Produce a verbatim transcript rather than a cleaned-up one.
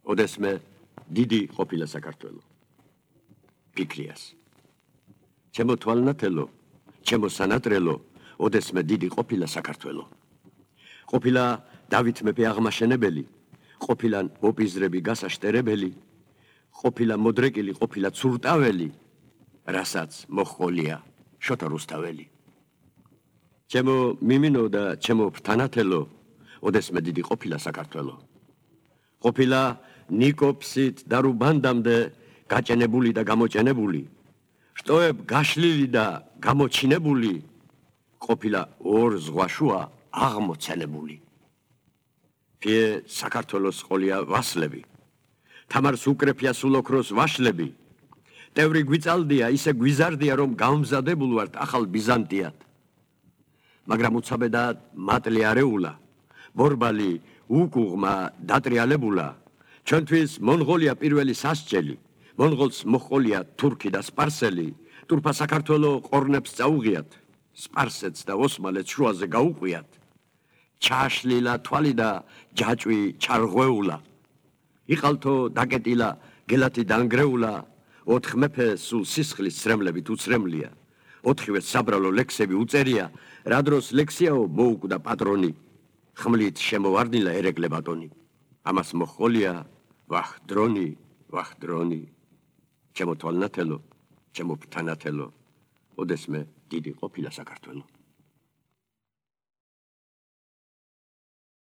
ოდესმე დიდი ყოფილა საქართველო. ფიქრიას. ჩემო თვალნათელო, ჩემო სანატრელო, ოდესმე დიდი ყოფილა საქართველო. ყოფილა დავით მეფე აღმაშენებელი, ყოფილა ოპიზრები გასაშტერებელი, ყოფილა მოდრეკილი, ყოფილა ცურტაველი, რასაც მოჰყოლია შოთა რუსთაველი. ჩემო მიმინო და ჩემო ფრთანათელო, ოდესმე დიდი ყოფილა საქართველო. ყოფილა ნიკოფსით და რუბანდამდე გაჭენებული და გამოჭენებული, შტოებ გაშლილი და გამოჩინებული, ყოფილა ორ ზღვაშუა აღმოცენებული. ფიე საქართველოს ყოლია ვასლები, თამარს უკრეფია სულ ოქროს ვაშლები, ტევრი გვიწალდია, ისე გვიზარდია, რომ გამზადებულ ვართ ახალ ბიზანტიად. მაგრამ უცაბედად მატლი არეულა, ბორბალი უკუღმა დატრიალებულა, ჩვენთვის მონღოლია პირველი სასჯელი, მონღოლს მოჰყოლია თურქი და სპარსელი, თურქა საქართველო ყორნებს წაუღიათ, სპარსეთს და ოსმალეთს შუაზე გაუყვიათ, ჩაშლილა თვალი და ჯაჭვი ჩარღვეულა, იყალთო დაკეტილა გელათი დანგრეულა, ოთხ მეფე სულ სისხლის სრემლებით უცრემლია, ოთხივე საბრალო ლექსები უწერია, რა დროს ლექსიაო მოუკვდა პატრონი, ხმლით შემოვარდნილა ერეკლე ბატონი, ამას მოჰყოლია ვახ დრონი, ვახ დრონი, ჩემო თვალნათელო, ჩემო ფრთანათელო, ოდესმე დიდი ყოფილა საქართველო.